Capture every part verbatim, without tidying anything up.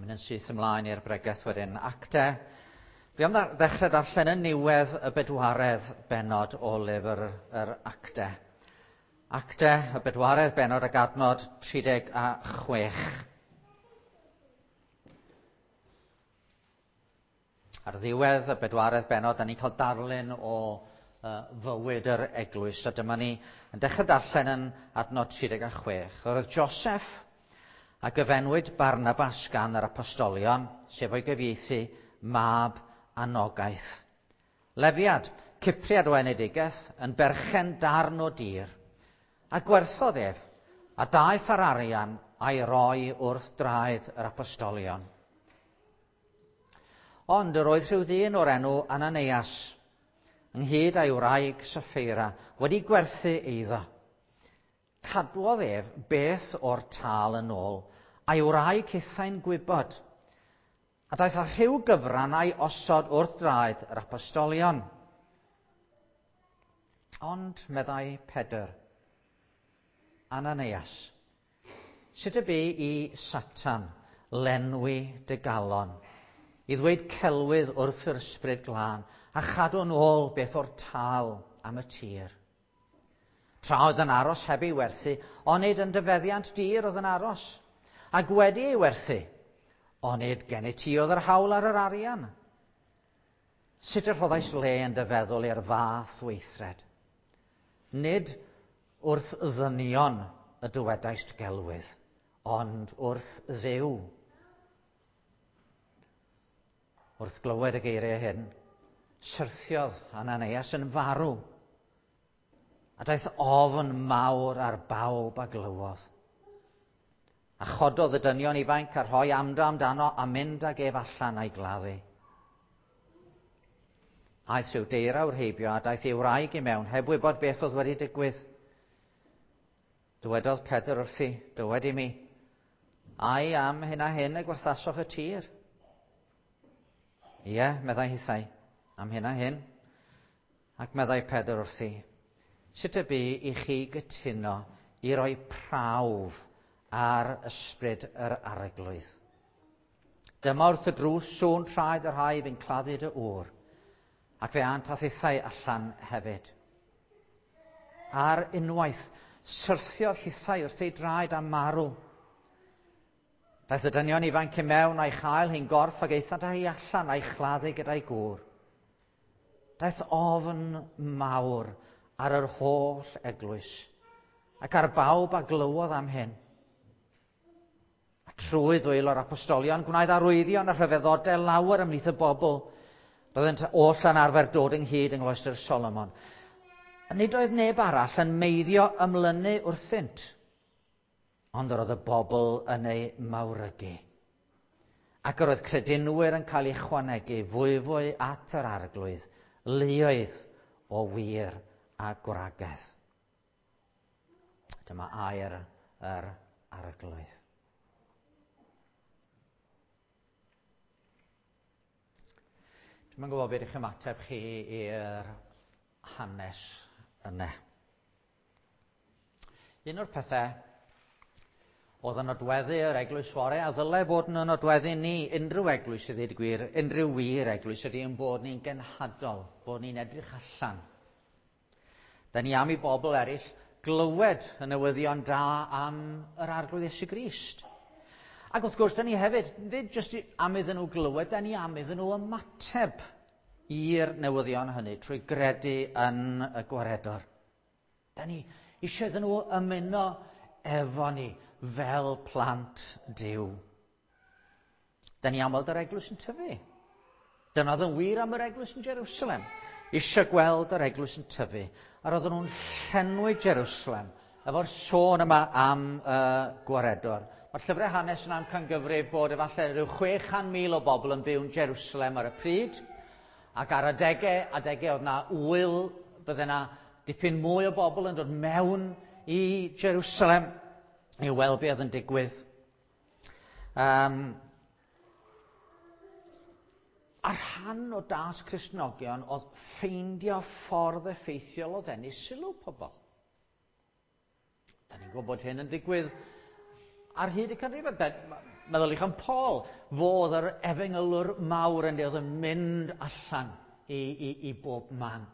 Mynd yn syth ymlaen i'r bregeth wedyn. Acte. Dwi am ddechrau darllen yn niwedd y bedwaredd bennod o lyfr yr Acte. Acte, y bedwaredd bennod ac adnod tri deg a chwech. Ar ddiwedd y bedwaredd bennod, da ni'n cael darlun o uh, fywyd yr eglwys. A dyma ni yn dechrau darllen yn adnod tri deg a chwech. Roedd Joseph a gyfenwyd Barnabas gan yr apostolion, sef o'i gyfieithu mab anogaeth. Lefiad, Cypriad o enedigaeth, yn berchen darn o dir, a gwerthodd ef, a daeth ar arian a'i roi wrth draed yr apostolion. Ond yr oedd rhyw ddyn o'r enw Ananias, ynghyd â'i wraig Saffeira, wedi gwerthu eiddo. Cadwodd ef beth o'r tâl yn ôl, a'i wraig hithau'n gwybod, a daeth â rhyw gyfran a'i osod wrth draed yr apostolion. Ond, meddai Pedr, Ananias, sut y bu i Satan lenwi dy galon, i ddweud celwydd wrth yr ysbryd glân, a chadw'n ôl beth o'r tâl am y tir? Tra oedd yn aros heb ei werthu, onid yn dyfeddiant dir oedd yn aros, ac wedi ei werthu, onid gennyt ti oedd yr hawl ar yr arian? Sut y rhoddais le yn dy feddwl i'r fath weithred? Nid wrth ddynion y dywedaist gelwydd, ond wrth Dduw. Wrth glywed y geiriau hyn, syrthiodd Ananias yn farw, a daeth ofn mawr ar bawb a glywodd. A chododd y dynion ifanc a rhoi amdo amdano a mynd ag ef allan a'i gladdu. Aeth rhyw deirawr heibio a daeth ei wraig i mewn, heb wybod beth oedd wedi digwydd. Dywedodd Pedr wrthi, dywed i mi, ai am hyn a hyn y gwerthasoch y tir? Ie, meddai hithau, am hyn a hyn. Ac meddai Pedr wrthi, sut y bu i chi gytuno i roi prawf ar ysbryd yr arglwydd? Dyma wrth y drws sŵn traed y rhai fu'n claddu dy ŵr, ac fe ânt a thithau allan hefyd. Ar unwaith, syrthiodd hithau wrth ei draed a marw. Daeth y dynion ifanc i mewn a'i chael hi'n gorff ac aethant â hi allan a'i chladdu gyda'i gŵr. Daeth ofn mawr ar yr holl eglwys, ac ar bawb a glywodd am hyn. A trwy ddwylo'r apostolion gwnaed arwyddion a rhyfeddodau lawer ymhlith y bobl. Byddent oll yn arfer dod ynghyd yng Ngloestr Solomon. A nid oedd neb arall yn meiddio ymlynu wrthynt, ond yr oedd y bobl yn ei mawrygu. Ac yr oedd credinwyr yn cael eu chwanegu fwyfwy at yr arglwydd, luoedd o wir a gwragedd. Dyma air yr arglwydd. Dwi'm yn gwybod beth ydych ymateb chi i'r hanes yna. Un o'r pethau oedd yn nodweddu yr eglwys fore, a ddylai fod yn nodweddu ni, unrhyw eglwys i ddweud gwir, unrhyw wir eglwys ydy yn bod ni'n genhadol, bod ni'n edrych allan. Da ni am i bobl eraill glywed y newyddion da am yr Arglwydd Iesu Grist. Ac wrth gwrs, da ni hefyd, nid jyst am iddyn nhw glywed, da ni am iddyn nhw ymateb i'r newyddion hynny trwy gredu yn y gwaredwr. Da ni eisiau iddyn nhw ymuno efo ni fel plant Duw. Da ni am weld yr eglwys yn tyfu. Dyna oedd yn wir am yr eglwys yn Jerusalem. Eisiau gweld yr eglwys yn tyfu. A roedden nhw'n llenwi Jerusalem efo'r sôn yma am y uh, gwaredwr. Mae'r llyfrau hanes yn amcangyfrif bod efallai rhyw chwe chan mil o bobl yn byw yn Jerusalem ar y pryd, ac ar adegau, adegau oedd na wyl, bydde na dipyn mwy o bobl yn dod mewn i Jerusalem i weld beth oedd yn digwydd. Um, a rhan o dasg Cristnogion oedd ffeindio ffordd effeithiol o ddenu sylw pobl. Da ni'n gwybod hyn yn digwydd ar hyd y canrifoedd. Meddyliwch am Paul, fodd yr efengylwr mawr yn oedd yn mynd allan i, i, i bob man.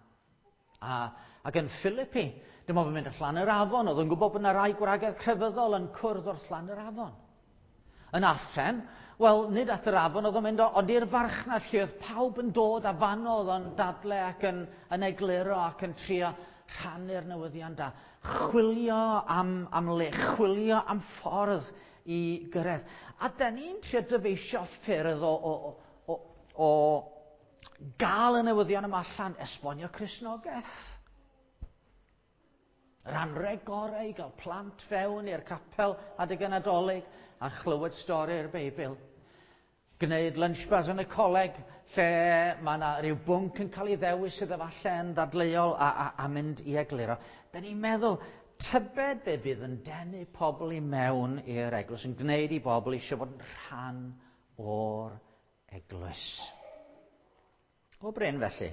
A, ac yn Philippi, dyma fo'n mynd allan yr afon, oedd yn gwybod bod yna rai gwragedd crefyddol yn cwrdd wrth lan yr afon. Yn Athen, wel, nid at yr afon oedd o'n mynd, ond i'r farchnad lle oedd pawb yn dod a fanno oedd o'n dadle ac yn, yn egluro ac yn trio rhannu'r newyddion da. Chwilio am, am le, chwilio am ffordd i gyrraedd. A da ni'n trio dyfeisio ffyrdd o, o, o, o gael y newyddion yma allan, esbonio Cristnogaeth. Yr anrheg gorau i gael plant fewn i'r capel adeg y Nadolig a chlywed stori'r Beibl. Gwneud lunch bars yn y coleg lle mae yna rhyw bwnc yn cael ei ddewis sydd efallai yn ddadleuol a, a, a mynd i egluro. Da ni'n meddwl, tybed be bydd yn denu pobl i mewn i'r eglwys, yn gwneud i bobl eisiau fod yn rhan o'r eglwys. O bryn felly,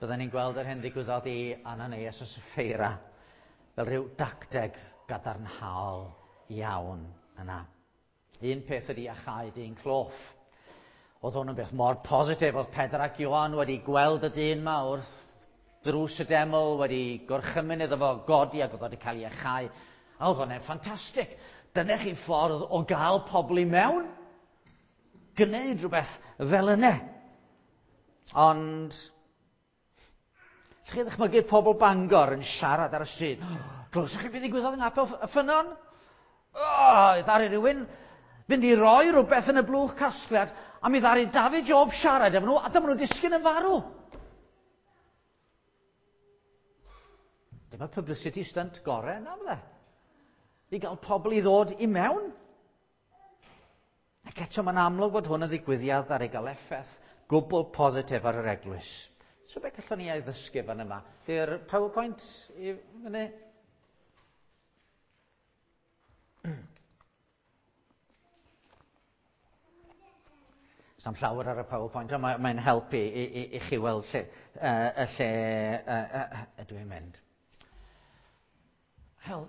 byddwn ni'n gweld yr hyn ddigwyddodd i Ananias a Sapphira fel rhyw dacteg gadarnhaol iawn yna. Un peth ydy achau dyn cloff. Oedd hwn yn beth mor positif. Oedd Pedr ac Ioan wedi gweld y dyn yma wrth drws y deml, wedi gorchymyn iddo fo godi ac oedd wedi cael ei achau. A oedd hwnna'n ffantastig. Dyna chi ffordd o gael pobl i mewn. Gwneud rhywbeth fel yna. Ond chi ddychmygu pobl Bangor yn siarad ar y stryd. Glywsoch chi beth ddigwyddodd yng Nghapel y Ffynnon? O, ddaru rhywun fynd i roi rhywbeth yn y blwch casgliad a mi ddaru David Job siarad efo nhw a dyma nhw'n disgyn yn farw. Dyma publicity stunt gorau yna, fydde. I gael pobl i ddod i mewn. Ac eto mae'n amlwg bod hwn yn ddigwyddiad ar ei gael effaith gwbl positif ar yr eglwys. So beth gallwn ni ei ddysgu fan yma? Di'r PowerPoint i fyny? S'am llawer ar y PowerPoint, ond mae'n mae helpu i, i, i chi weld lle, uh, y lle uh, uh, ydw i'n mynd. Hel,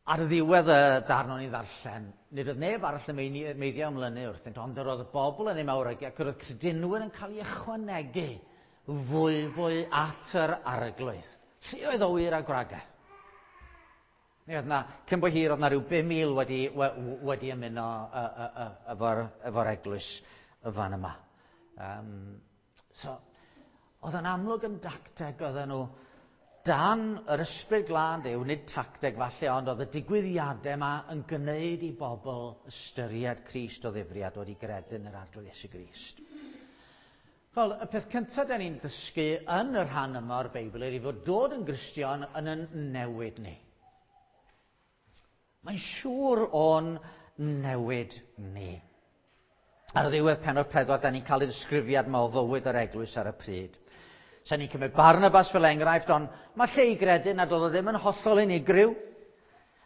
ar ddiwedd y darn o'n i ddarllen, nid oedd neb arall yn meiddio ymlynu wrthynt, ond yr oedd y bobl yn ei mawrygu ac yr oedd credinwyr yn cael ei ychwanegu fwy fwy at yr arglwydd. Lluoedd o wir a gwragedd. Mi oedd na, cyn bo hir, oedd na rhyw bum mil wedi, wedi ymuno efo'r efo eglwys y fan yma. Um, so, oedd yn amlwg yn dacteg oedden nhw dan yr ysbryd glân Duw, nid tacteg falle, ond oedd y digwyddiadau yma yn gwneud i bobl ystyried Crist o ddifri a dod i gredu yn yr Arglwydd Iesu Grist. Wel, y peth cyntaf da ni'n dysgu yn y rhan yma o'r Beibl ydy fod dod yn Gristion yn yn newid ni. Mae'n siŵr o'n newid ni. Ar ddiwedd pennod pedwar, da ni'n cael y disgrifiad yma o fywyd yr eglwys ar y pryd. Sa'n ni'n cymryd Barnabas fel enghraifft, ond mae lle i gredu nad oedd o ddim yn hollol unigryw.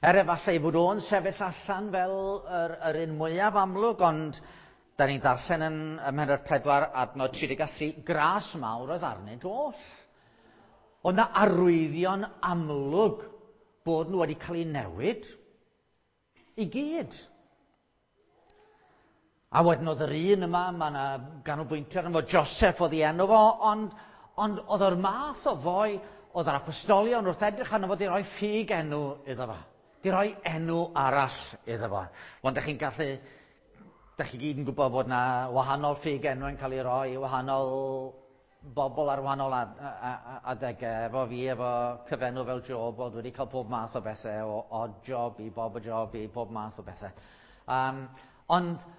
Er efallai fod o'n sefyll allan fel yr, yr un mwyaf amlwg, ond da ni'n darllen yn ym mhennod pedwar adnod tri deg a thri, gras mawr oedd arnynt oll. Ond na arwyddion amlwg bod nhw wedi cael eu newid i gyd. A wedyn oedd yr un yma, mae yna ganolbwyntio arno fo, Joseph oedd ei enw fo, ond Ond oedd o'r math o foi, oedd yr apostolion wrth edrych arno fo di roi ffug enw iddo fo. Di roi enw arall iddo fo. Ond dych chi'n gallu, dych chi gyd yn gwybod bod na wahanol ffug enw yn cael ei roi, wahanol bobl ar wahanol adegau. Efo fi, efo cyfenw fel Job, oedd wedi cael pob math o bethau, o odd job i bob o job i pob math o bethau. Um, ond,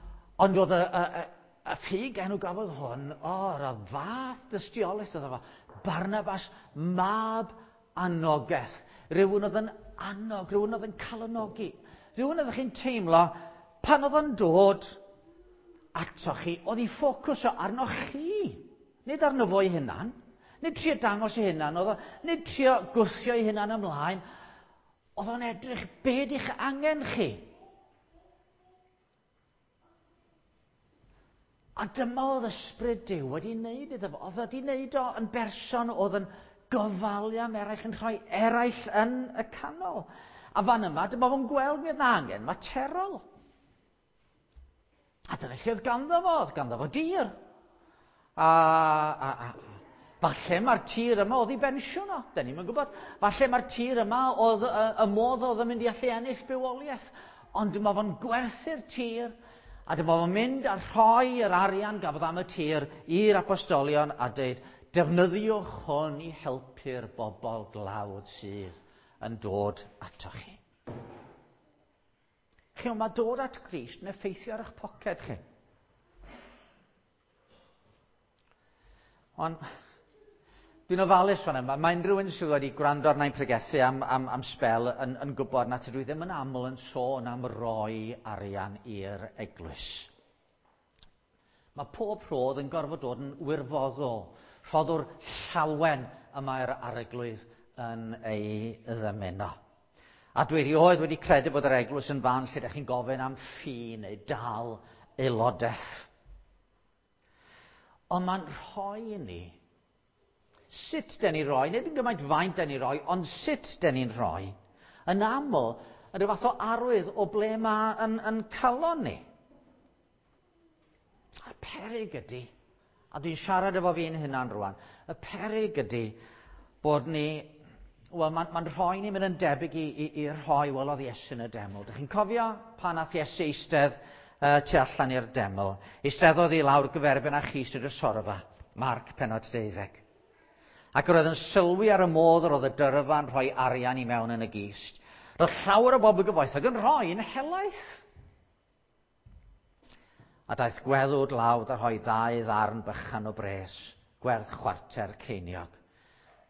ond oedd y, y, y Y ffug enw gafodd hwn, o, yr fath dystiolaeth oedd efo. Barnabas, mab anogaeth. Rhywun oedd yn annog, rhywun oedd yn calonogi. Rhywun oedd chi'n teimlo, pan oedd yn dod ato chi, oedd ei ffocws o arno chi. Nid arno fo ei hunan, nid trio dangos ei hunan, oedd o, nid trio gwthio ei hunan ymlaen. Oedd o'n edrych be di'ch angen chi. A dyma oedd ysbryd Duw wedi wneud iddo fo. Oedd wedi wneud o yn berson oedd yn gofalu am eraill, yn rhoi eraill yn y canol. A fan yma, dyma fo'n gweld mi oedd 'na angen materol. A dyna lle oedd ganddo fo, oedd ganddo fo dir. A, a, a falle mae'r tir yma oedd ei bensiwn o, da ni'm yn gwybod. Falle mae'r tir yma oedd y, y modd oedd yn mynd i allu ennill bywoliaeth. Ond dyma fo'n gwerthu'r tir, a dyma fo'n mynd a rhoi yr arian gafodd am y tir i'r apostolion a dweud, defnyddiwch hwn i helpu'r bobl glawd sydd yn dod atoch chi. Chi, mae dod at Grist yn effeithio ar eich poced chi. Ond dwi'n ofalus fan yma. Mae unrhyw un sydd wedi gwrando arna i'n pregethu am, am, am sbel yn, yn gwybod na tydw i ddim yn aml yn sôn am roi arian i'r eglwys. Mae pob rhodd yn gorfod dod yn wirfoddol. Rhoddwr llawen y mae'r arglwydd yn ei ddymuno. A dwi erioed wedi credu bod yr eglwys yn fan lle ydych chi'n gofyn am ffi neu dal aelodaeth. Ond mae'n rhoi i ni sut den ni roi, nid yn gymaint faint den ni roi, ond sut den ni'n rhoi, yn aml yn rhyw fath o arwydd o ble mae yn, yn calon ni. A peryg ydy, a dwi'n siarad efo fi'n hunan rwan, y peryg ydy bod ni, wel, mae'n ma rhoi ni'n mynd yn debyg i, i, i rhoi welodd Iesu yn y deml. Dych chi'n cofio pan nath Iesu eistedd uh, tu allan i'r deml? Eisteddodd i lawr gyferbyn â chist y drysorfa, Marc pennod deuddeg. Ac roedd yn sylwi ar y modd yr oedd y dyrfa'n rhoi arian i mewn yn y gist. Roedd llawer o bobl gyfoethog yn rhoi yn helaeth. A daeth gweddw dlawd a rhoi ddau ddarn bychan o bres, gwerth chwarter ceiniog.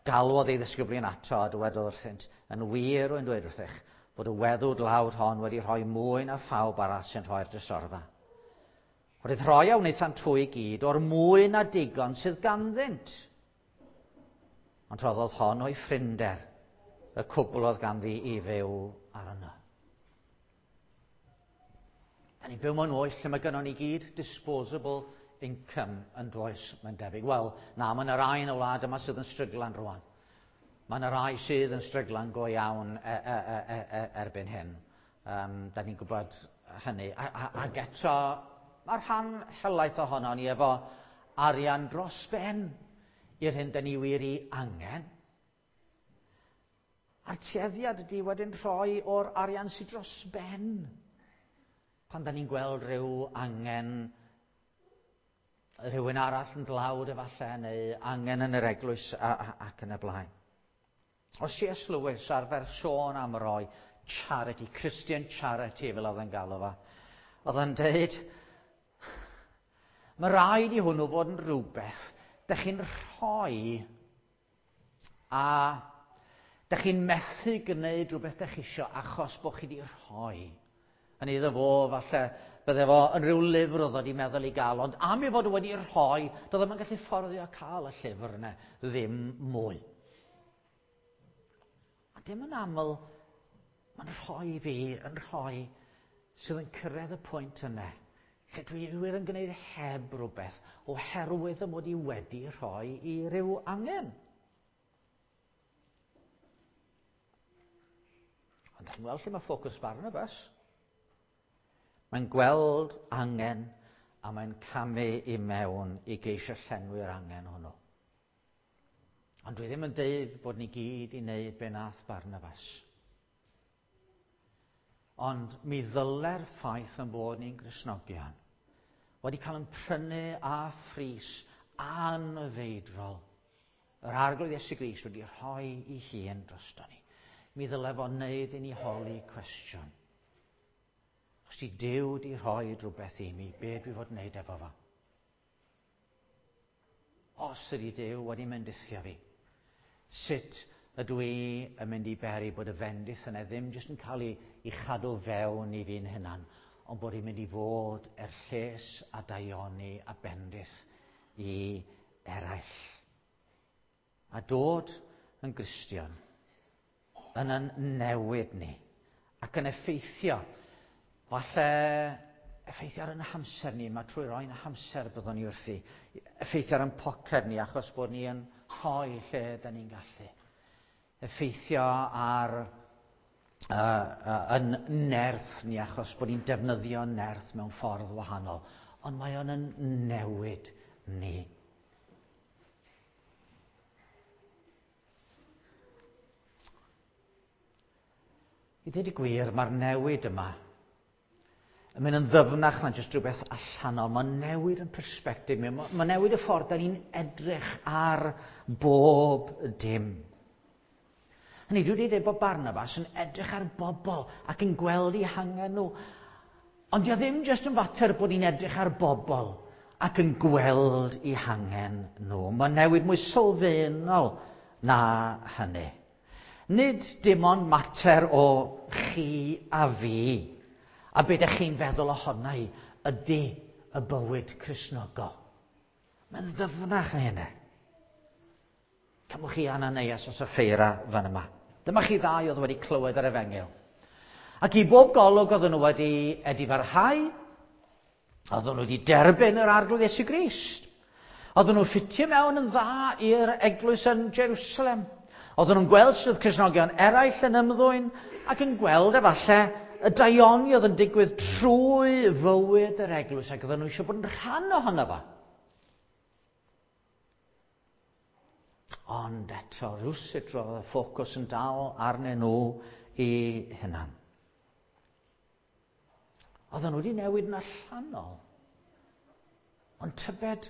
Galwodd ei ddisgyblion ato a dywedodd wrthynt, yn wir rwy'n dweud wrthych, bod y weddw dlawd hon wedi rhoi mwy na phawb arall sy'n rhoi'r drysorfa. Roedd rhoi a wnaethant hwy i gyd o'r mwy na digon sydd ganddynt. Ond rhoddodd hon o'i ffrinder, y cwbl oedd ganddi i fyw arno. Da ni'n byw mewn oes lle mae gynnon ni gyd disposable income yn does, mae'n debyg. Wel, na, mae yna rai yn y wlad yma sydd yn stryglan rwan. Mae yna rai sydd yn stryglan go iawn e, e, e, e, erbyn hyn. Um, da ni'n gwybod hynny. A, a, ac eto, mae'r rhan helaeth ohono ni efo arian dros ben i'r hyn da ni wir i angen. A'r tueddiad ydy wedyn rhoi o'r arian sydd dros ben. Pan da ni'n gweld rhyw angen rhywun arall yn dlawd efallai, neu angen yn yr eglwys a, a, ac yn y blaen. O C S Lewis arfer sôn am roi charity, Christian charity fel oedd yn galw fo. Oedd yn deud, mae rhaid i hwnnw fod yn rhywbeth dych chi'n rhoi a dych chi'n methu gwneud rhywbeth dych chi isio achos bod chi wedi rhoi. Yn iddo fo, falle, bydde fo yn rhyw lyfr oedd wedi meddwl i gael, ond am ei fod wedi rhoi, doedd o'm yn gallu fforddio cael y llyfr yna ddim mwy. A dim yn aml, mae'n rhoi fi, yn rhoi, sydd yn cyrraedd y pwynt yna, lle dwi wir yn gwneud heb rhywbeth, oherwydd y mod i wedi rhoi i ryw angen. Ond dych chi'n gweld lle mae ffocws Barnabas? Mae'n gweld angen a mae'n camu i mewn i geisio llenwi'r angen hwnnw. Ond dwi ddim yn deud bod ni gyd i wneud be nath Barnabas. Ond mi ddyle'r ffaith yn bod ni'n Gristnogion wedi cael yn prynu a phris anfeidrol. Yr Arglwydd Iesu Grist wedi rhoi ei hun drosto ni. Mi ddyle fo wneud i ni holi cwestiwn. Os di Duw di rhoi rhywbeth i mi, be dwi fod wneud efo fo? Os ydi Duw wedi mendithio fi, sut ydw i yn mynd i beri bod y fendith yna ddim jyst yn cael ei, ei chadw fewn i fi'n hunan, ond bod hi'n mynd i fod er lles a daioni a bendith i eraill. A dod yn Gristion yn yn newid ni ac yn effeithio. Falle effeithio ar yn hamser ni, mae trwy roi'n hamser byddwn ni wrthi. Effeithio ar yn poced ni achos bod ni yn rhoi lle da ni'n gallu. Effeithio ar uh, uh, yn nerth ni achos bod ni'n defnyddio nerth mewn ffordd wahanol, ond mae o'n yn newid ni. I ddweud y gwir, mae'r newid yma yn mynd yn ddyfnach na jyst rhywbeth allanol. Mae'n newid yn persbectif. Mae'n newid y ffordd da ni'n edrych ar bob dim. Hynny, dwi wedi dweud bod Barnabas yn edrych ar bobl ac yn gweld eu hangen nhw. Ond dio ddim jyst yn fater bod ni'n edrych ar bobl ac yn gweld eu hangen nhw. Mae'n newid mwy sylfaenol na hynny. Nid dim ond mater o chi a fi, a be ydych chi'n feddwl ohona i ydy y bywyd Cristnogol. Mae'n ddyfnach na hynny. Cymwch chi Ananias a Sapphira fan yma. Dyma chi ddau oedd wedi clywed yr efengyl. Ac i bob golwg oedden nhw wedi edifarhau, oedden nhw wedi derbyn yr Arglwydd Iesu Grist. Oedden nhw ffitio mewn yn dda i'r eglwys yn Jerusalem. Oedden nhw'n gweld sut oedd Cristnogion eraill yn ymddwyn ac yn gweld efallai y daioni oedd yn digwydd trwy fywyd yr eglwys ac oedden nhw eisiau bod yn rhan ohono fo. Ond eto, rhywsut roedd y ffocws yn dal arnyn nhw i hunan. Oedden nhw wedi newid yn allanol. Ond tybed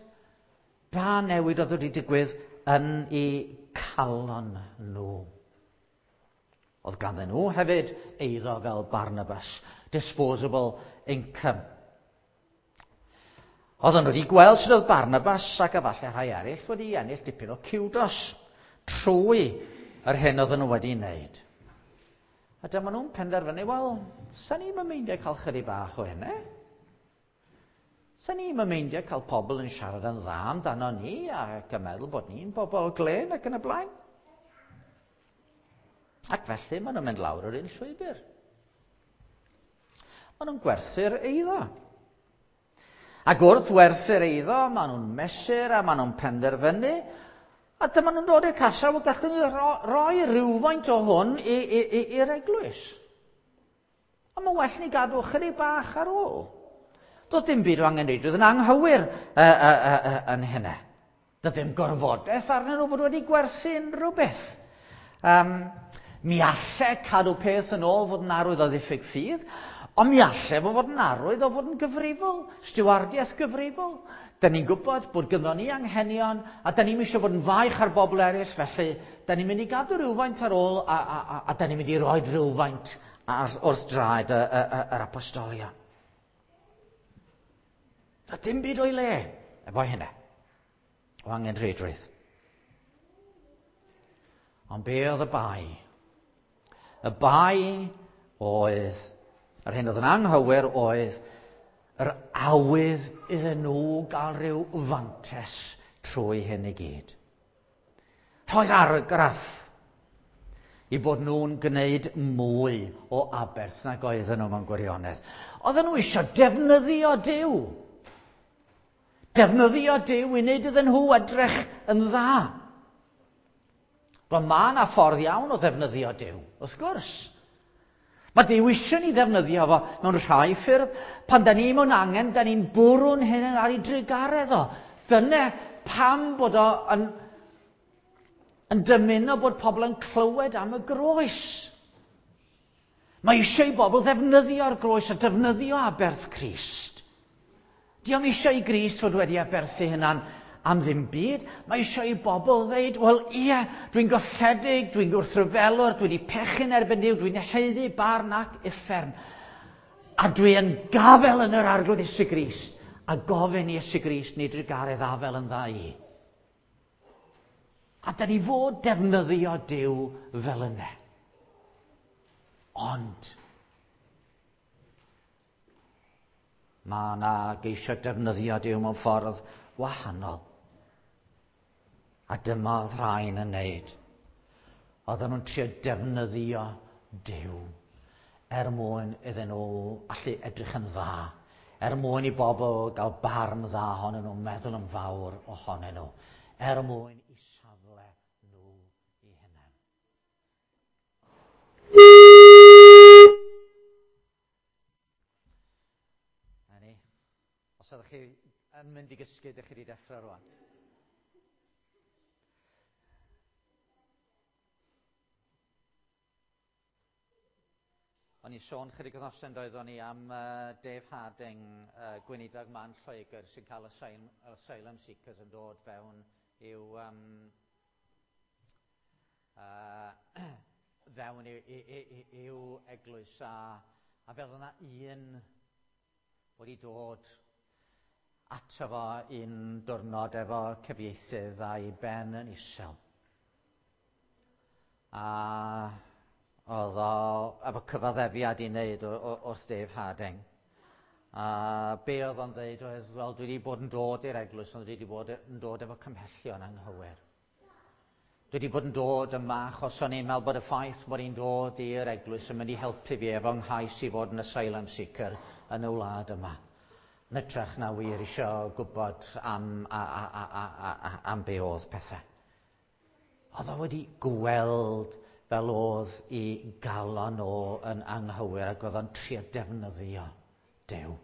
ba newid oedd wedi digwydd yn eu calon nhw. Oedd ganddyn nhw hefyd eiddo fel Barnabas, disposable income. Oedden nhw wedi gweld sut oedd Barnabas ac efallai rhai eraill wedi ennill dipyn o kudos trwy yr hyn oedden nhw wedi wneud. A dyma nhw'n penderfynu, wel, sa ni'm yn meindio cael chydig bach o hynny. Sa ni'm yn meindio cael pobl yn siarad yn dda amdano ni ac yn meddwl bod ni'n bobl glên ac yn y blaen. Ac felly maen nhw'n mynd lawr yr un llwybr. Maen nhw'n gwerthu'r eiddo. Ac wrth werthu'r eiddo, maen nhw'n mesur a maen nhw'n penderfynu. A dyma nhw'n dod i'r casgliad, wel, gallwn ni ro roi rhywfaint o hwn i'r eglwys. A mae'n well ni gadw chydig bach ar ôl. Doedd dim byd o angenrheidrwydd yn anghywir uh, uh, uh, uh, yn hynny. Doedd dim gorfodaeth arnyn nhw fod wedi gwerthu unrhyw beth. Um, mi alle cadw peth yn ôl fod yn arwydd o ddiffyg ffydd, ond mi alle fo fod yn arwydd o fod yn gyfrifol, stiwardiaeth gyfrifol. Da ni'n gwybod bod gynddon ni anghenion, a da ni'n eisiau bod yn faich ar bobl eraill, felly da ni'n mynd i gadw rhywfaint ar ôl, a, a, a, a da ni'n mynd i roi rhywfaint ar, wrth draed y, y, y, yr apostolion. A dim byd o'i le efo hynny, o angenrheidrwydd. Ond be oedd y bai? Y bai oedd, yr hyn oedd yn anghywir oedd, yr awydd iddyn nhw gael rhyw fantes trwy hyn i gyd. Rhoi'r argraff i bod nhw'n gwneud mwy o aberth nag oedden nhw mewn gwirionedd. Oedden nhw eisiau defnyddio Duw. Defnyddio Duw i wneud iddyn nhw edrych yn dda. Wel, mae yna ffordd iawn o ddefnyddio Duw, wrth gwrs. Mae Duw eisiau ni ddefnyddio fo mewn rhai ffyrdd. Pan da ni mewn angen, da ni'n bwrw'n hyn ar ei drugaredd o. Dyna pam bod o yn, yn dymuno bod pobl yn clywed am y groes. Mae eisiau i bobl ddefnyddio'r groes a defnyddio aberth Crist. Dio'm eisiau i Grist fod wedi aberthu hunan am ddim byd. Mae eisiau i bobl ddeud, wel ie, dwi'n golledig, dwi'n gwrthryfelwr, dwi wedi pechu'n erbyn Duw, dwi'n haeddu barn ac uffern. A dwi yn gafel yn yr Arglwydd Iesu Grist, a gofyn i Iesu Grist neu drugaredd afel yn dda i. A da ni fod defnyddio Duw fel yna. Ond mae yna geisio defnyddio Duw mewn ffordd wahanol. A dyma oedd rhain yn neud. Oedden nhw'n trio defnyddio Duw er mwyn iddyn nhw allu edrych yn dda, er mwyn i bobl gael barn dda ohonyn nhw, meddwl yn fawr ohonyn nhw, er mwyn i safle nhw i hunain. Os ydych chi yn mynd i gysgu, ydych chi wedi dechrau rwan. O'n i'n sôn chydig wythnosau doeddwn ni am uh, Dave Harding, uh, gweinidog man Lloegr sy'n cael asylum, asylum seekers yn dod fewn i'w um, uh, fewn i'w eglwys a, a fel yna un wedi dod ato fo un diwrnod efo cyfieithydd a'i ben yn isel. A oedd o efo cyfaddefiad i wneud wrth Dave Harding. A be oedd o'n dweud oedd, wel, dwi wedi bod yn dod i'r eglwys, ond dwi wedi bod yn dod efo cymhellion anghywir. Dwi wedi bod yn dod yma achos o'n i'n meddwl bod y ffaith bod i'n dod i'r eglwys yn mynd i helpu fi efo nghais i fod yn asylum seeker yn y wlad yma. Yn hytrach na wir eisiau gwybod am, a, a, a, a, a, am be oedd pethau. Oedd o wedi gweld fel oedd i galon o yn anghywir ac oedd o'n trio defnyddio Duw.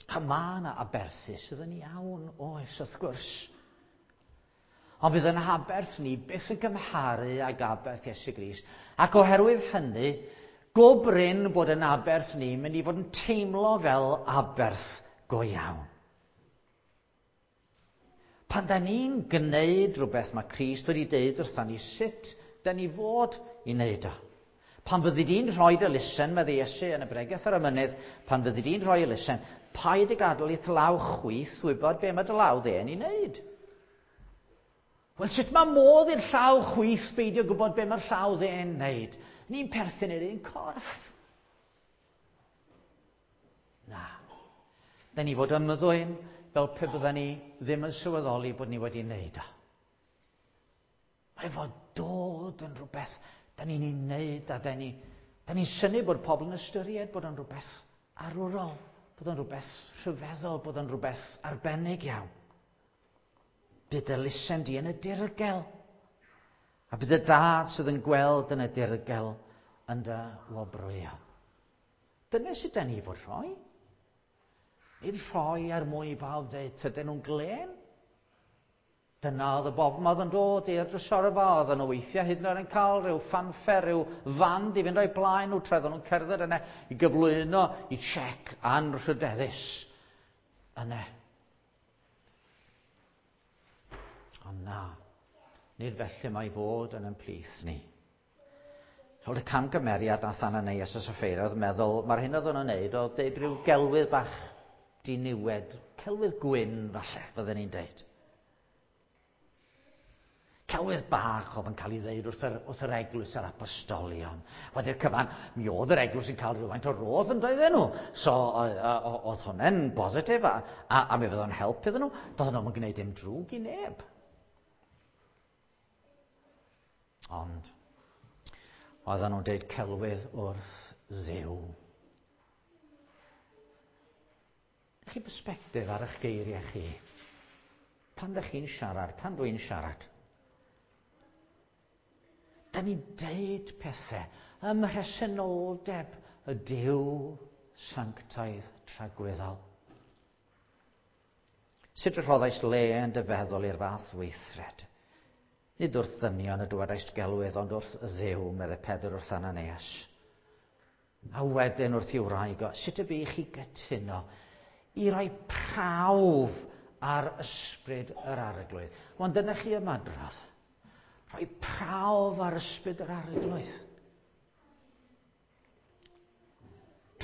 A mae yna aberthu sydd yn iawn, oes, wrth gwrs. Ond fydd yn aberth ni byth yn gymharu ag aberth Iesu Grist. Ac oherwydd hynny, go brin bod yn aberth ni mynd i fod yn teimlo fel aberth go iawn. Pan da ni'n gwneud rhywbeth mae Crist wedi deud wrthon ni sut da ni fod i wneud o. Pan fyddi di'n rhoi dy elusen, medde Iesu yn y bregeth ar y mynydd, pan fyddi di'n rhoi elusen, paid y gadael i'th law chwith wybod be mae dy law dde'n ei wneud. Wel, sut mae modd i'r llaw chwith beidio gwybod be mae'r llaw dde'n wneud? Ni'n perthyn i'r un corff. Na. Da ni fod ymddwyn fel pe bydden ni ddim yn sylweddoli bod ni wedi wneud o. Mae fod dod yn rhywbeth da ni'n ei wneud a da ni'n da ni synnu bod pobl yn ystyried bod yn rhywbeth arwrol, bod yn rhywbeth rhyfeddol, bod yn rhywbeth arbennig iawn. Bydd elusen di yn y dirgel. A bydd y dad sydd yn gweld yn y dirgel yn dy wobrwyo. Dyna sydd da ni fod rhoi. Nid rhoi er mwyn i bawb dweud, tydyn nhw'n glên. Dyna oedd y bobl oedd yn dod i'r drysorfa, oedd nhw weithiau hyd yn oed yn cael rhyw ffanffer, rhyw fand i fynd o'i blaen nhw tra oedden nhw'n cerdded yna i gyflwyno i siec anrhydeddus yna. Ond na, nid felly mae fod yn ein plith ni. Roedd y camgymeriad nath Ananias a Sapphira oedd meddwl, mae'r hyn oedd nhw'n wneud oedd deud rhyw gelwydd bach diniwed, celwydd gwyn falle, fydden ni'n deud. Celwydd bach oedd yn cael ei ddeud wrth yr, wrth yr eglwys a'r apostolion. Wedi'r cyfan, mi oedd yr eglwys yn cael rhywfaint o rodd yn doedden nhw. So, oedd hwnna'n bositif a, a, a mi fydd o'n help iddyn nhw. Doedden nhw'n gwneud dim drwg i neb. Ond, oedden nhw'n deud celwydd wrth Dduw. Chi perspectif ar eich geiriau chi. Pan ydych chi'n siarad, pan dwi'n siarad, da ni'n deud pethau ym mhresenoldeb y Duw sanctaidd tragwyddol. Sut y rhoddais le yn dy feddwl i'r fath weithred? Nid wrth ddynion y dywedais gelwydd, ond wrth Dduw, meddai Pedr wrth Ananias. A wedyn wrth i'w wraig o, sut y bu chi gytuno i roi prawf ar ysbryd yr arglwydd? Ond dyna chi ymadrodd. Rhoi prawf ar ysbryd yr arglwydd.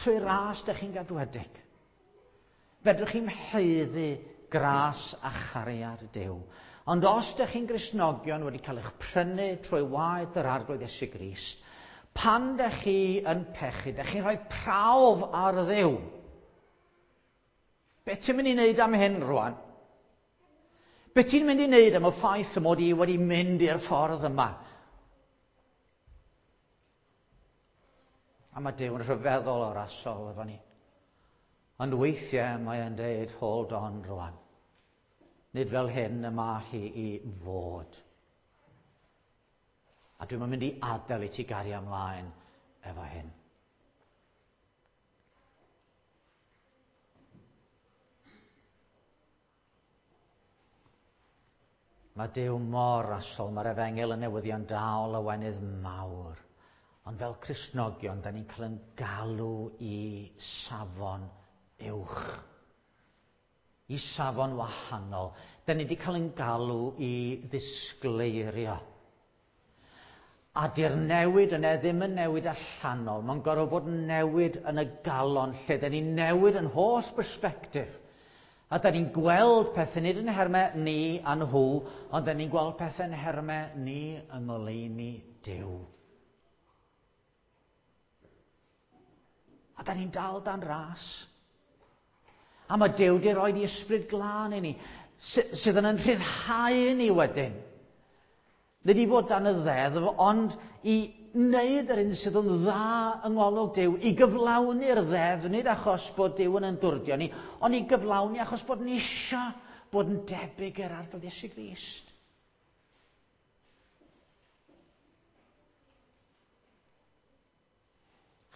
Trwy ras dych chi'n gadwedig. Fedrwch chi'n haeddu gras a chariad Duw. Ond os dych chi'n Gristnogion wedi cael eich prynu trwy waed yr arglwydd Iesu Grist, pan dych chi yn pechu, dych chi'n rhoi prawf ar Dduw. Be ti'n mynd i wneud am hyn rwan? Be ti'n mynd i wneud am y ffaith y mod i wedi mynd i'r ffordd yma? A mae Duw yn rhyfeddol o'r asol efo ni. Ond weithiau mae e'n deud, hold on rwan. Nid fel hyn y mae hi i fod. A dwi'n mynd i adael i ti gario ymlaen efo hyn. Mae Duw mor rasol, mae'r efengyl yn newyddion da o lawenydd mawr. Ond fel Cristnogion, da ni'n cael yn galw i safon uwch. I safon wahanol. Da ni wedi cael yn galw i ddisgleirio. A di'r newid yna ddim yn newid allanol. Mae'n gorfod bod newid yn y galon lle da ni'n newid yn holl bersbectif. A da ni'n gweld pethau nid yn nhermau ni a nhw, ond da ni'n gweld pethau yn nhermau ni yng ngoleuni Duw. A da ni'n dal dan ras. A mae Duw wedi rhoi ei ysbryd glân i ni, sydd yn rhyddhau ni wedyn. Nid i fod dan y ddeddf, ond i wneud yr un sydd yn dda yng ngolwg Duw, i gyflawni'r ddeddf, nid achos bod Duw yn yndwrdio ni, ond i gyflawni achos bod ni eisiau bod yn debyg i'r Arglwydd Iesu Grist.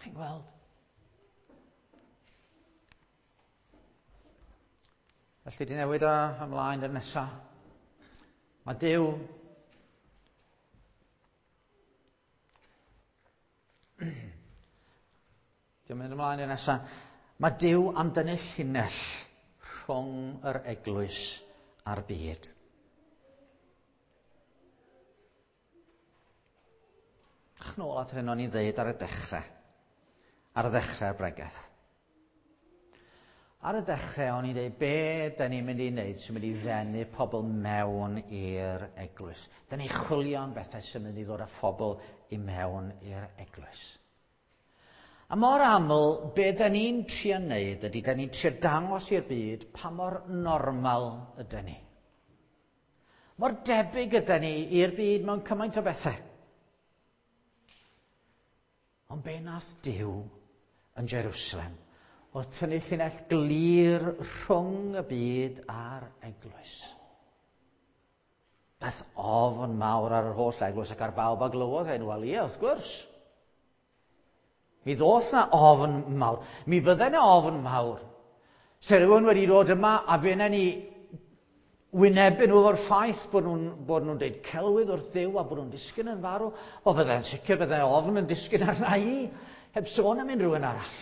Chi'n gweld? Felly di newid o ymlaen i'r nesaf. Mae Duw Diolch mynd ymlaen i'r nesaf. Mae Duw am dynnu llinell rhwng yr eglwys a'r byd. Ach, nôl at hyn o'n i'n ddeud ar y dechrau. Ar y ddechrau'r bregeth. Ar y dechrau o'n i'n dweud, be da ni'n mynd i wneud sy'n mynd i ddenu pobl mewn i'r eglwys? Da ni'n chwilio am bethau sy'n mynd i ddod â phobl i mewn i'r eglwys. A mor aml, be da ni'n trio wneud ydy, da ni'n trio dangos i'r byd pa mor normal ydyn ni. Mor debyg ydyn ni i'r byd mewn cymaint o bethau. Ond be nath Duw yn Jerusalem oedd tynnu llinell glir rhwng y byd a'r eglwys. Daeth ofn mawr ar yr holl eglwys ac ar bawb a glywodd hyn. Wel ie, wrth gwrs. Mi ddoth na ofn mawr. Mi fydde na ofn mawr. Se rhywun wedi dod yma a fe na ni wynebu nhw efo'r ffaith bod nhw'n bod nhw'n deud celwydd wrth Dduw a bod nhw'n disgyn yn farw, o fydde'n sicr bydde ofn yn disgyn arna i, heb sôn am unrhyw un arall.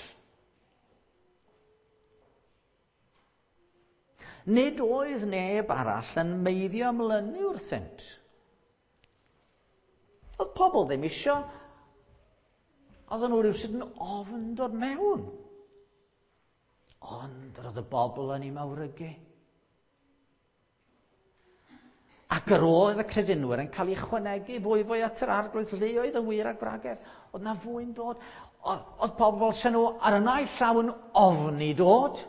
Nid oedd neb arall yn meiddio ymlynu wrthynt. Oedd pobl ddim isio. Oedden nhw rhywsut yn ofn dod mewn. Ond yr oedd y bobl yn ei mawrygu. Ac yr oedd y credinwyr yn cael eu chwanegu fwy fwy at yr Arglwydd, lleoedd y wir a gwragedd. Oedd na fwy'n dod. Oedd pobl sy'n nhw ar y naill llaw yn ofni dod.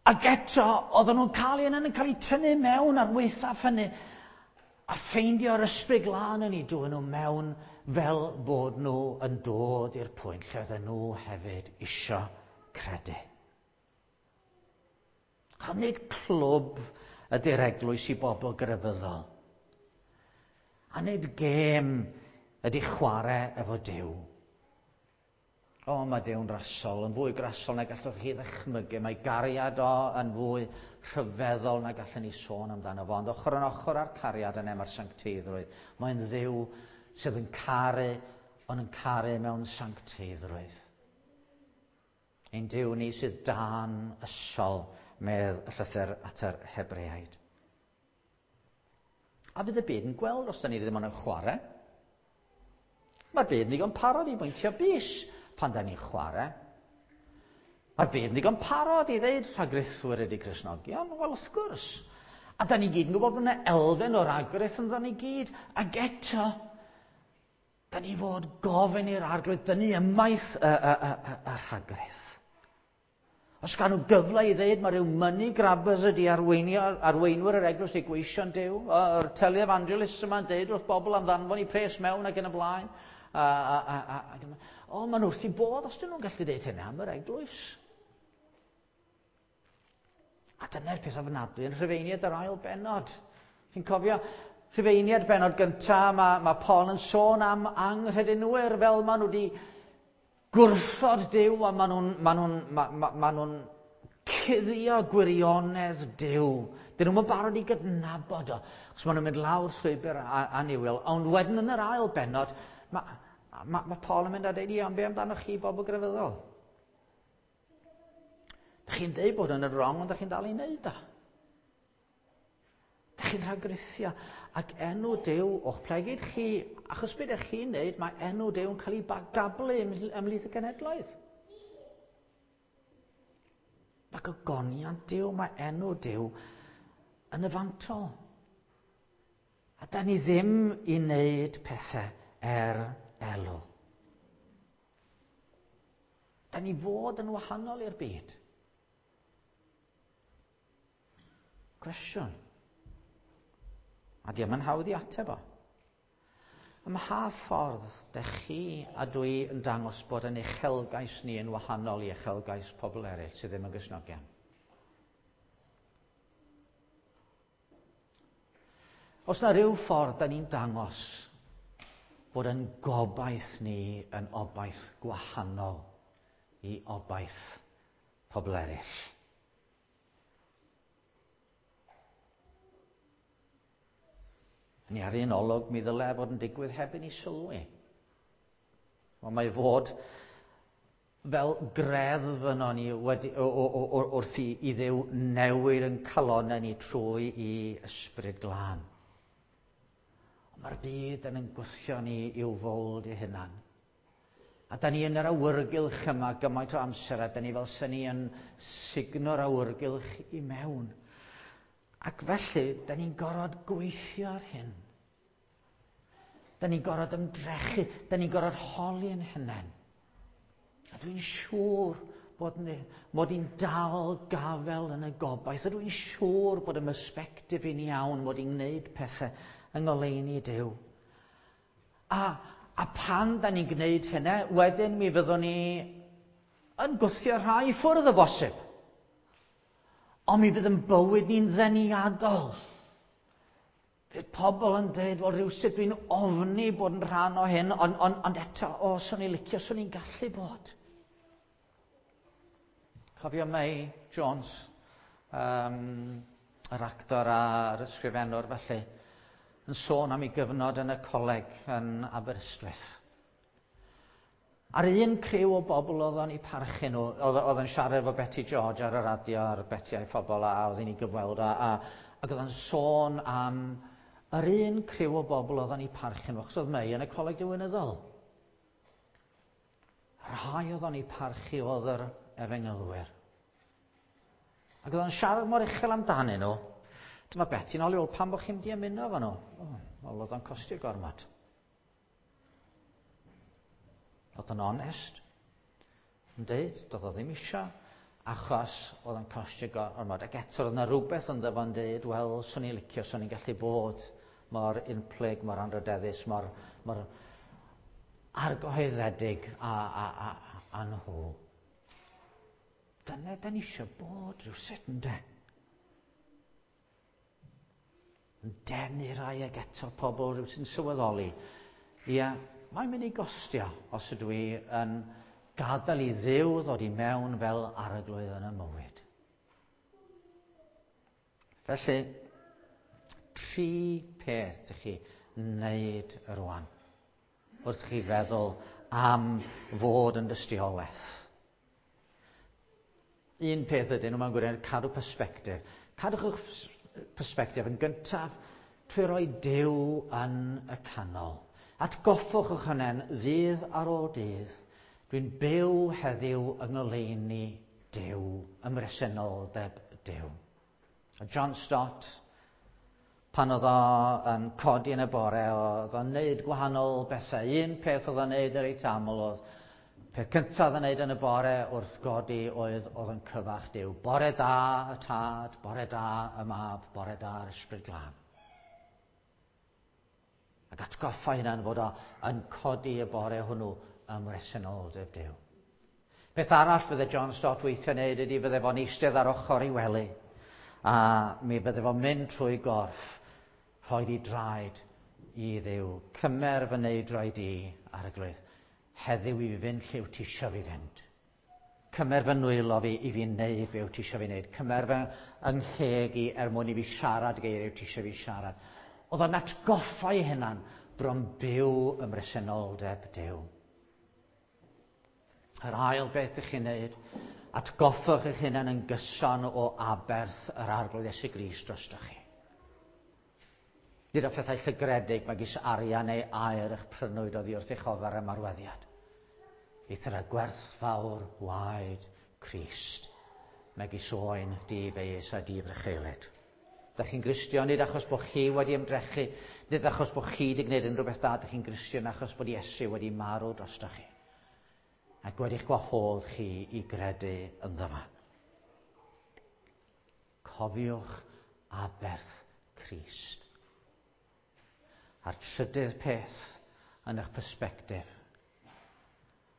Ac eto, oedden nhw'n cael eu yn cael eu tynnu mewn ar waethaf hynny a ffeindio'r ysbryd glân yn eu dwyn nhw mewn fel bod nhw yn dod i'r pwynt lle oedden nhw hefyd isio credu. A nid clwb ydy'r eglwys i bobl grefyddol. A nid gêm ydy chwarae efo Duw. O, mae Duw'n rasol, yn fwy grasol na gallwch chi ddychmygu. Mae gariad o yn fwy rhyfeddol na gallwn ni sôn amdano fo. Ond ochr yn ochr â'r cariad yna mae'r sancteiddrwydd. Mae'n Dduw sydd yn caru, ond yn caru mewn sancteiddrwydd. Ein Duw ni sydd dan ysol, medd y llythyr at yr Hebreaid. A fydd y byd yn gweld os da ni ddim ond yn chwarae. Mae'r byd yn ddigon parod i bwyntio bys pan da ni'n chwarae. Mae'r byd yn ddigon parod i ddeud rhagrithwyr ydy Cristnogion. Wel, wrth gwrs. A da ni gyd yn gwybod bod yna elfen o ragrith ynddo ni gyd. Ac eto, da ni fod gofyn i'r Arglwydd dynnu ymaith y, y, y, y, y rhagrith. Os gawn nhw gyfle i ddeud mae rhyw money grabbers ydy arweinwyr yr eglwys neu gweision Duw, yr televangelists yma'n deud wrth bobl am ddanfon i pres mewn ac yn y blaen. A, a, a, a, a, o, maen nhw wrth i bodd os dyn nhw'n gallu deud hynny am yr eglwys. A dyna'r peth ofnadwy yn Rhufeiniaid yr ail bennod. Chi'n cofio Rhufeiniaid bennod gyntaf, mae, mae Paul yn sôn am anghredinwyr fel maen nhw wedi gwrthod Duw a maen nhw'n ma nhw'n, ma, ma, ma nhw'n cuddio gwirionedd Duw. Dyn nhw'n barod i gydnabod o, achos maen nhw'n mynd lawr llwybr annuwiol. Ond wedyn yn yr ail bennod, mae ma, ma Paul yn mynd a dweud, ia, ond be amdano chi bobl grefyddol? Dych chi'n deud bod yn y wrong, ond dych chi'n dal i wneud o. Dych chi'n rhagrithio. Ac enw Duw o'ch plegid chi, achos beth ydych chi'n wneud, mae enw Duw yn cael ei gablu ymhlith y genhedloedd. Mae gogoniant Duw, mae enw Duw yn y fantol. A da ni ddim i wneud pethau er elw. Da ni fod yn wahanol i'r byd. Cwestiwn. A di o'm yn hawdd i ateb o. Ym mha ffordd dych chi a dwi yn dangos bod yn uchelgais ni yn wahanol i uchelgais pobl eraill sydd ddim yn Gristnogion? Os na ryw ffordd da ni'n dangos bod yn gobaith ni yn obaith gwahanol i obaith pobl eraill. Ni ar un olwg mi ddylai fod yn digwydd heb i ni sylwi. Ond mae fod fel greddf yno ni wedi, o, o, o, wrth i, i Dduw newid yn calonnau ni trwy i ysbryd glân. Ond mae'r byd yn gwthio ni i'w fowld ei hunan. A da ni yn yr awyrgylch yma gymaint o amser, a da ni fel sy'n ni yn sugno'r awyrgylch i mewn. Ac felly, da ni'n gorfod gweithio ar hyn. Da ni'n gorfod ymdrechu, da ni'n gorfod holi yn hunain. A dwi'n siŵr bod ni, mod i'n dal gafel yn y gobaith. A dwi'n siŵr bod y perspectif i'n iawn, mod i'n gwneud pethau yng ngoleuni Duw. A, a pan da ni'n gwneud hynny, wedyn mi fyddwn ni yn gwthio rhai i ffwrdd o bosib. Ond mi fydd yn bywyd ni'n ddeniadol. Fydd pobl yn dweud, wel rhywsut dwi'n ofni bod yn rhan o hyn, ond on, ond eto, o, swn i'n licio, swn i'n gallu bod. Cofio May Jones, um, yr actor a'r ysgrifennwr felly, yn sôn am ei gyfnod yn y coleg yn Aberystwyth. A'r un criw o bobl oedd o'n eu parchu nhw, oedd, oedd yn siarad efo Betty George ar y radio, ar Betty a'i phobl, a oedd hi'n ei gyfweld, a, a, ac oedd o'n sôn am yr un criw o bobl oedd o'n eu parchu nhw, achos oedd May yn y coleg diwinyddol. Rhai oedd o'n eu parchu oedd yr efengylwyr. Ac oedd o'n siarad mor uchel amdanyn nhw. Dyma Betty'n ôl i ôl, pam bod chi'n mynd i ymuno efo nhw? O, wel, oedd o'n costio gormod. Oedd o'n onest, yn deud, doedd o ddim isio, achos oedd o'n costio gormod. Ac eto, oedd yna rhywbeth ynddo fo'n deud, wel, swn i'n licio, swn i'n gallu bod mor unplyg, mor anrhydeddus, mor, mor argyhoeddedig a, a, a, a nhw. Dyna da ni eisiau bod rhywsut, ynde? Yn denu rai ag eto pobl rhyw sy'n sylweddoli. Ia, mae'n mynd i gostio os ydw i yn gadael i Dduw ddod i mewn fel arglwydd yn y mywyd. Felly, tri peth ydych chi wneud rwan wrth chi feddwl am fod yn dystiolaeth. Un peth ydyn nhw mewn gwirionedd, cadw persbectif. Cadwch eich persbectif yn gyntaf trwy roi Duw yn y canol. Atgoffwch eich hunain ddydd ar ôl dydd. Dwi'n byw heddiw yng ngoleuni Duw, ym mhresenoldeb Duw. A John Stott, pan oedd o yn codi yn y bore, oedd o'n neud gwahanol bethau. Un peth oedd o'n neud reit aml oedd, peth cyntaf oedd o'n neud yn y bore wrth godi oedd oedd yn cyfarch Duw. Bore da y Tad, bore da y Mab, bore da'r Ysbryd Glân. Ac atgoffa hunan fod o yn codi y bore hwnnw ym mhresenoldeb Duw. Peth arall fydde John Stott weithiau wneud ydy fydde fo'n eistedd ar ochr ei wely, a mi fydde fo'n mynd trwy gorff, rhoi di draed i Dduw. Cymer fy neudraid i, Arglwydd. Heddiw i fi fynd lle wyt ti isio fi fynd. Cymer fy nwylo fi i fi wneud be wyt ti eisiau fi wneud. Cymer fy ngheg i er mwyn i fi siarad geiriau wyt ti eisiau fi siarad. Oedd o'n atgoffa ei hunan bron byw ym mhresenoldeb Duw. Yr ail beth ych chi'n wneud, atgoffwch eich hunan yn gyson o aberth yr Arglwydd Iesu Grist drostoch chi. Nid o phethau llygredig megis arian neu aur eich prynwyd oddi wrth eich ofer ymarweddiad. Eithr y gwerthfawr waed Crist, megis oen di-feius a di-frycheulyd. Dach chi'n Gristion nid achos bod chi wedi ymdrechu, nid achos bod chi wedi gwneud unrhyw beth da, dach chi'n Gristion achos bod Iesu wedi marw drostoch chi. Ac wedi'ch gwahodd chi i gredu ynddo fo. Cofiwch aberth Crist. A'r trydydd peth yn eich persbectif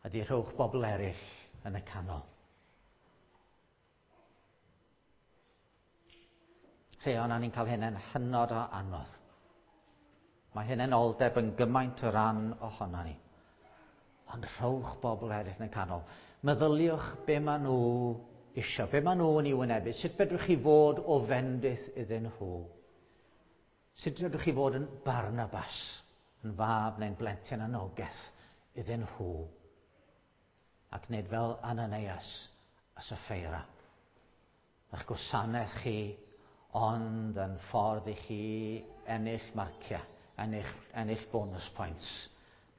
ydy rhowch bobl eraill yn y canol. Rhai ohonon ni'n cael hynny'n hynod o anodd. Mae hunanoldeb yn gymaint o ran ohono ni. Ond rhowch bobl eraill yn y canol. Meddyliwch be maen nhw isio, be maen nhw'n ei wynebu. Sut fedrwch chi fod o fendith iddyn nhw? Sut fedrwch chi fod yn Barnabas, yn fab neu'n blentyn anogaeth iddyn nhw? Ac nid fel Ananias a Sapphira. Eich gwasanaeth chi ond yn ffordd i chi ennill marciau, ennill, ennill bonus points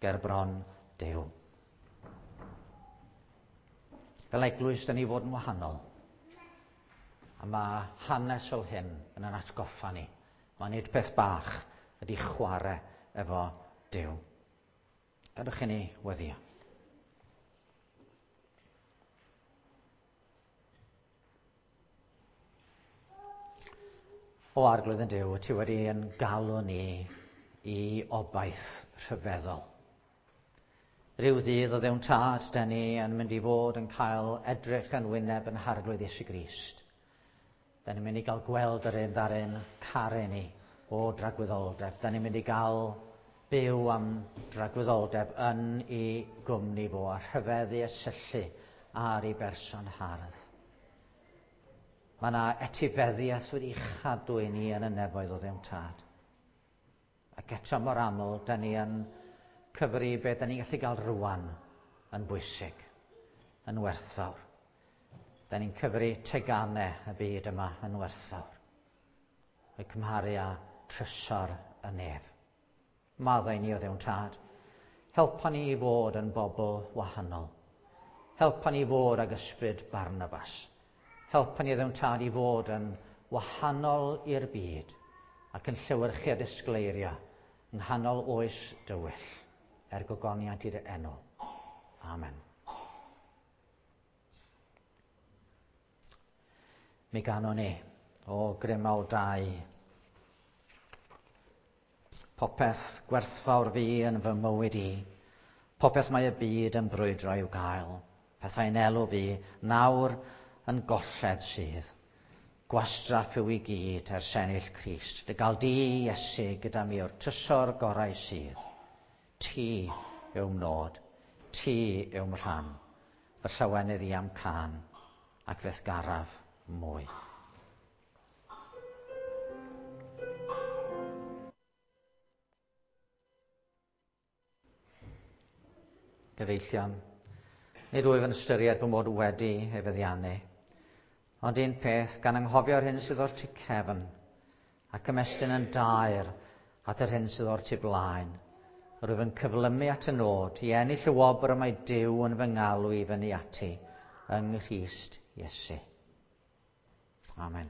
ger bron Duw. Fel eglwys, da ni fod yn wahanol. A mae hanes fel hyn yn yn atgoffa ni. Mae nid peth bach ydy chwarae efo Duw. Gadwch i ni weddio. O Arglwydd yn Duw, ti wedi yn galw ni i obaith rhyfeddol. Rhyw ddydd o Dduw'n Tad, da ni yn mynd i fod yn cael edrych yn wyneb yn Harglwydd Iesu Grist. Da ni'n mynd i gael gweld yr un ddarun caru ni o dragwyddoldeb. Da ni'n mynd i gael byw am dragwyddoldeb yn ei gwmni fo a rhyfeddu a syllu ar ei berson hardd. Mae yna etifeddiaeth wedi chadw i ni yn y nefoedd o Dduw'n Tad. Ac eto mor aml, da ni yn cyfri beth da ni'n gallu gael rwan yn bwysig, yn werthfawr. Da ni'n cyfri teganau y byd yma yn werthfawr. O'i cymharu â trysor y nef. Maddau ni o Dduw'n Tad. Helpa ni i fod yn bobl wahanol. Helpa ni i fod ag ysbryd Barnabas. Helpa ni o Dduw'n Tad i fod yn wahanol i'r byd ac yn llewyrchu a disgleirio yng nghanol oes dywyll er gogoniant i dy enw. Amen. Mi ganwn ni o Grymawl dau. Popeth gwerthfawr fi yn fy mywyd i, popeth mae y byd yn brwydro i'w gael, pethau'n elw fi, nawr yn golled sydd. Gwastraff yw i gyd er ennill Crist, dy gael di, Iesu, gyda mi o'r trysor gorau sydd. Ti yw'm nod, ti yw'm rhan, fy llawenydd i am can, ac fe'th garaf mwy. Gyfeillion, nid wyf yn ystyried fy mod wedi ei feddiannu, ond un peth, gan anghofio'r hyn sydd o'r tu cefn, ac ymestyn yn daer at yr hyn sydd o'r tu blaen. Rwyf yn cyflymu at y nod i ennill y wobr y mae Duw yn fy ngalw i fyny ati yng Nghrist Iesu. Amen.